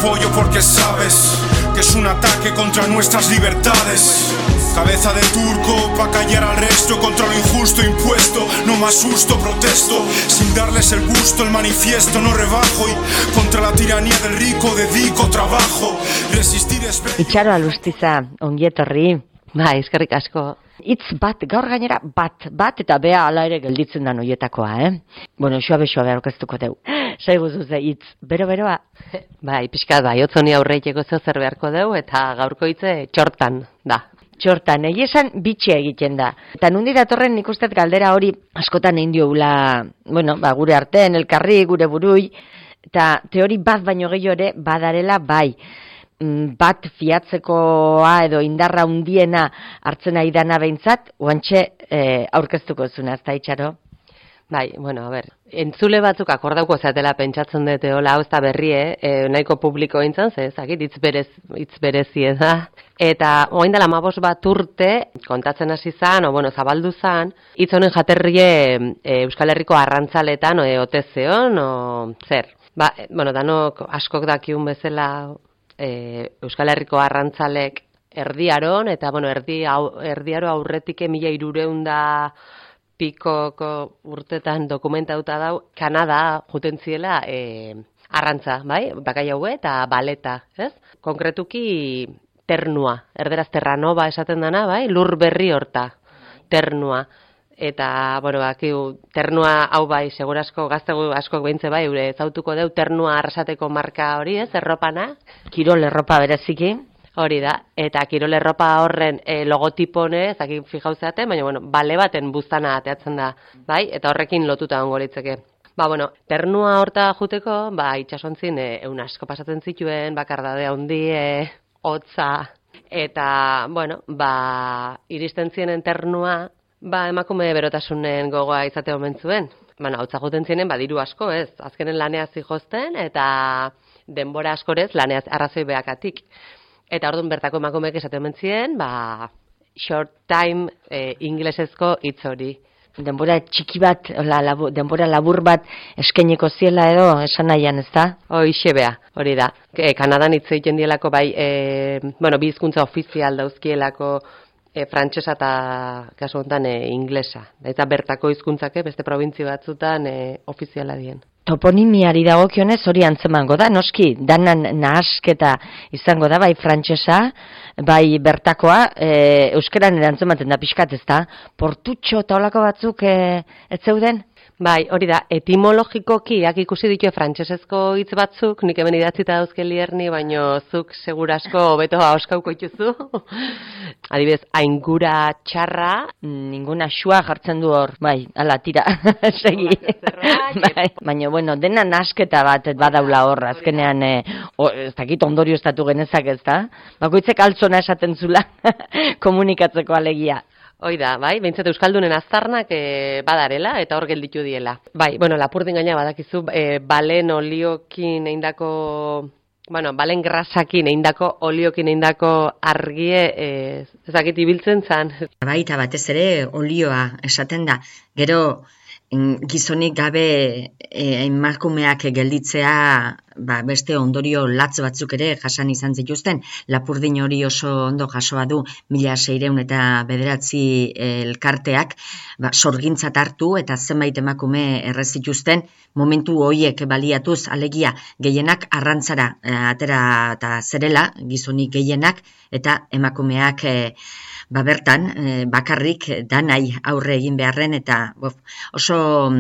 apoyo porque sabes que es un ataque contra nuestras libertades. Cabeza de turco pa' callar al resto contra lo injusto impuesto. No me asusto, protesto sin darles el gusto. El manifiesto no rebajo y contra la tiranía del rico dedico trabajo. Resistir es... Itxaro Alustiza, ongi etorri. Eskerrik asko. Itz bat, gaur gainera bat eta bea ala ere gelditzen da noietakoa, Bueno, xoabe aurkeztuko deu. Saigu zuze, itz, beroa. Pixkat otzoni aurreiteko zer beharko deu, eta gaurko hitze txortan da. Txortan, egia esan bitxia egiten da. Eta nundi datorren nik uste galdera hori askotan egin dioula, gure artean, elkarri, gure burui, eta teori bat baino gehiago ere badarela bai. Bat fiatzekoa edo indarra hundiena hartzen ari dana behintzat, oantxe aurkeztuko zuna, ez da itxaro? Entzule batzuk akordauko zatela pentsatzen dute hola, hau ez da berrie, nahiko publiko eintzan, ezakit, hitz berezie da. Eta orain dela 15 bat urte, kontatzen hasi zan, zabaldu zan, hitz honen jaterrie Euskal Herriko arrantzaletan, ote zeon, zer. Danok askok dakiun bezala Euskal Herriko arrantzalek erdiaron, eta erdiaro aurretik 1300 pikoko urtetan dokumentauta dau, Kanada juten ziela arrantza, bakai haue eta baleta, ez? Konkretuki ternua, erderaz terranova esaten dana, lur berri horta, ternua. Eta, ternua hau segurasko gazte askok behintze ezautuko deu ternua arrasateko marka hori, ez, erropana? Kirol erropa bereziki. Hori da, eta kirol erropa horren logotipone, ezakik fijauzeaten, baina, bale baten buztana ateatzen da, eta horrekin lotuta ongo litzeke. Ternua horta juteko, itxasontzin eun asko pasatzen zituen, bakardade handi, hotza, eta, iristen zienen ternua, emakume berotasunen gogoa izate omen zuen. Hotza juten zienen, diru asko, ez? Azkenen laneaz zihozten, eta denbora askorez laneaz arrazoi behakatik. Eta orduan bertako emakumeek esate omen ziren, short time inglesezko hitz hori. Denbora txiki bat, denbora labur bat eskainiko ziela edo esan nahian, ez da? Hoixe bea, hori da. Kanadan hitz egiten dielako bi hizkuntza ofizial dauzkielako frantsesa eta kasu honetan inglesa. Eta bertako hizkuntzake beste probintzio batzutan ofiziala dien. Toponimiari dagokionez hori antzemango da, noski, danan nahasketa izango da, bai frantsesa, bai bertakoa, euskeran erantzematen da pixkat, ez da? Portutxo eta olako batzuk ez zeuden? Hori da, etimologikoki ikusi ditu frantsesezko hitz batzuk, nik hemen idatzita dauzke lierni, baino zuk segurasko hobeto ahoskauko ituzu. Adibidez, aingura txarra. Ninguna xua jartzen du hor, ala, tira, segi. Baina, dena nasketa bat badaula hor, azkenean, ez dakit ondorio estatu genezak ez da? Bakoitzek altzona esaten zula komunikatzeko alegia. Hoi da, behintzat Euskaldunen aztarnak badarela eta hor gelditu diela. Lapurdin gaina badakizu, balen oliokin eindako, balen grasakin eindako oliokin eindako argie ezakit ibiltzen zan. Eta batez ere olioa esaten da. Gero gizonik gabe emakumeak gelditzea beste ondorio latz batzuk ere jasan izan zituzten. Lapurdin hori oso ondo jasoa du 1609 elkarteak sorgintzat hartu eta zenbait emakume erre zituzten momentu horiek baliatuz, alegia gehienak arrantzara atera eta zerela gizonik gehienak eta emakumeak bertan bakarrik danai aurre egin beharren eta oso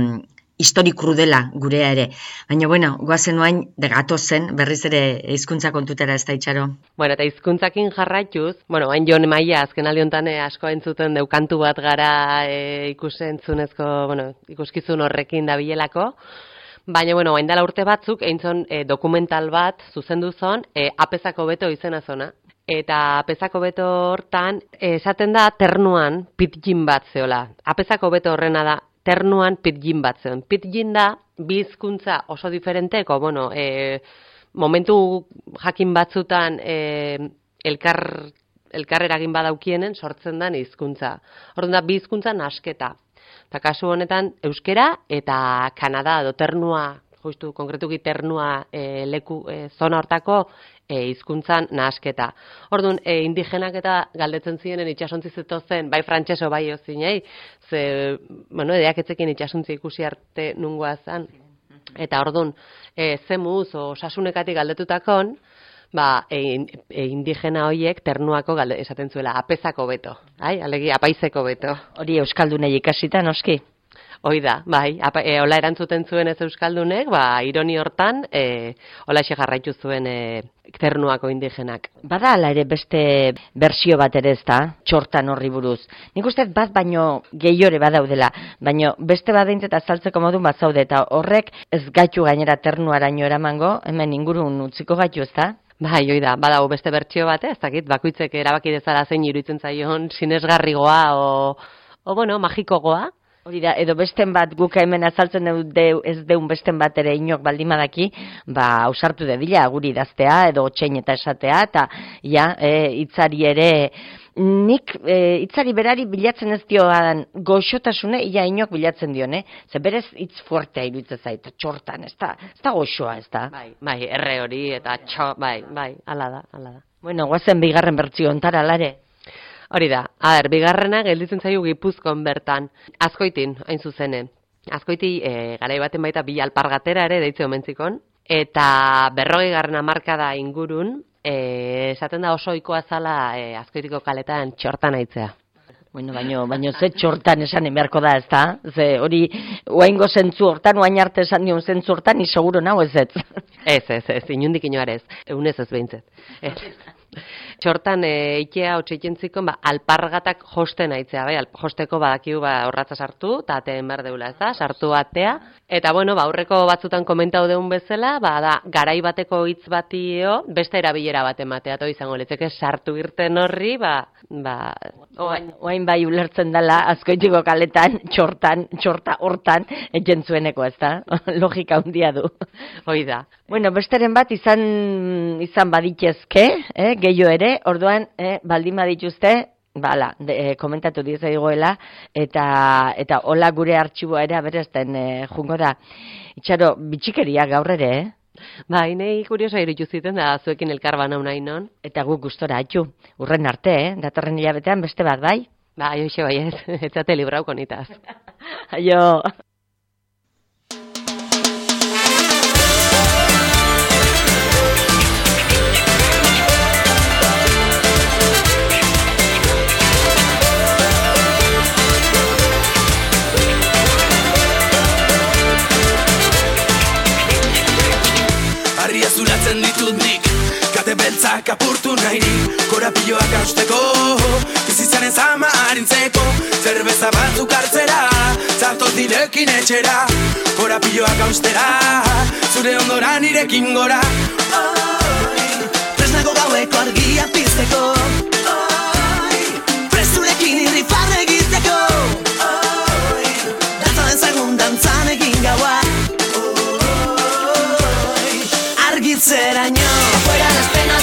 historik krudela gurea ere. Baina, goazen oain gatozen berriz ere hizkuntza kontutera ez da itxaro. Eta hizkuntzakin jarraituz, hain Jon Maia azken aldi asko entzuten deukantu bat gara ikuskizun horrekin dabilelako. Baina, hain dela urte batzuk, eintzon dokumental bat zuzendu zon, apezako beto izena zona. Eta apezako beto hortan, esaten da ternuan pitgin bat zeola. Apezako beto horrena da ternuan pitgin bat zeon. Pitgin da, bi hizkuntza oso diferenteko, momentu jakin batzutan elkar eragin badaukienen sortzen den hizkuntza. Orduan da, bi hizkuntza nasketa. Eta kasu honetan, euskera eta Kanada edo ternua justu konkretuki ternua leku zona hortako hizkuntzan nahasketa. Orduan, indigenak eta galdetzen zienen itsasontzi zetozen, bai frantseso bai ozinei, ze, bueno, edeaketzekin itsasontzi ikusi arte nungoa zan. Eta orduan, zemuz osasunekatik galdetutakon, indigena horiek ternuako esaten zuela, apezako beto, alegia apaizeko beto. Hori euskaldunei ikasita, noski? Hoi da, bai, hola erantzuten zuen ez euskaldunek, ironi hortan, holaxe jarraitu zuen ternuako indigenak. Bada ala ere beste bersio bat ere ez da, txortan horri buruz. Nik uste bat baino gehiore badaudela, baino beste badeintzeta azaltzeko modun bat zaude, eta horrek ez gaitu gainera ternuaraino eramango, hemen ingurun utziko gaitu ez da? Bai, hoi da, badago beste bertsio bat, ez dakit, bakoitzek erabaki dezala zein iruditzen zaion sinesgarrigoa o bueno, magikogoa. Hori da, edo besten bat guk hemen azaltzen ez deun besten bat ere inok baldimadaki, ausartu dedila guri idaztea edo otxein eta esatea, eta hitzari ere, nik hitzari berari bilatzen ez dioan goxotasune, ia inok bilatzen dion, ze berez hitz fuertea iruditzen zait, txortan, ez da goxoa, ez da? Bai, erre hori, eta bai, ala da. Bueno, guazen bigarren bertzio ontara, alare? Hori da, bigarrena gelditzen zaio Gipuzkoan bertan, Azkoitin, hain zuzene. Azkoiti garai baten baita bi alpargatera ere deitze omentzikon, eta 40. hamarkada ingurun, esaten da oso ohikoa zala Azkoitiko kaletan txortan aitzea. Bueno, baino ze txortan esan beharko da, ez da? Ze hori, oaingo zentzu hortan, oain arte esan dion zentzu hortan, ni seguro nago ez ez. Ez, inundik inoarez, egunez ez behintzet. Txortan ikea otxeikentziko alpargatak josten aitzea, bai, josteko badakiu horratza sartu, eta ateen behar deula, ez da, sartu atea. Eta, bueno, aurreko batzutan komentau deun bezala, da, garai bateko hitz batio, beste erabilera bat ematea, to izango litzeke sartu irten horri, oain bai ulertzen dela, Azkoitiko kaletan, txorta hortan, etxen zueneko, ez da? Logika handia du. Hoi da. Bueno, besteren bat izan baditezke, gehiago ere, orduan, baldin badituzte, komentatu diez egoela, eta hola gure artxiboa ere aberezten jungo da. Itxaro, bitxikeria gaur ere, Bai, nahi kuriosa irutu ziten da zuekin elkar banau nahi non. Eta guk gustora atxu, urren arte, datorren hilabetean beste bat, bai? Bai, hoxe bai ez, etzate librauko nitaz. Aio! Zulatzen ditut nik, kate beltzak apurtu nahirik, korapioak hausteko, bizitzaren zama harintzeko, zerbeza batzuk hartzera, zatoz direkin etxera, korapioak haustera, zure ondoran irekin gora. Tresnago gaueko argia pizteko, presturekin irrifarre egiteko, dantzaren zagun dantzan egin gaua. Argitzeraino, fuera las penas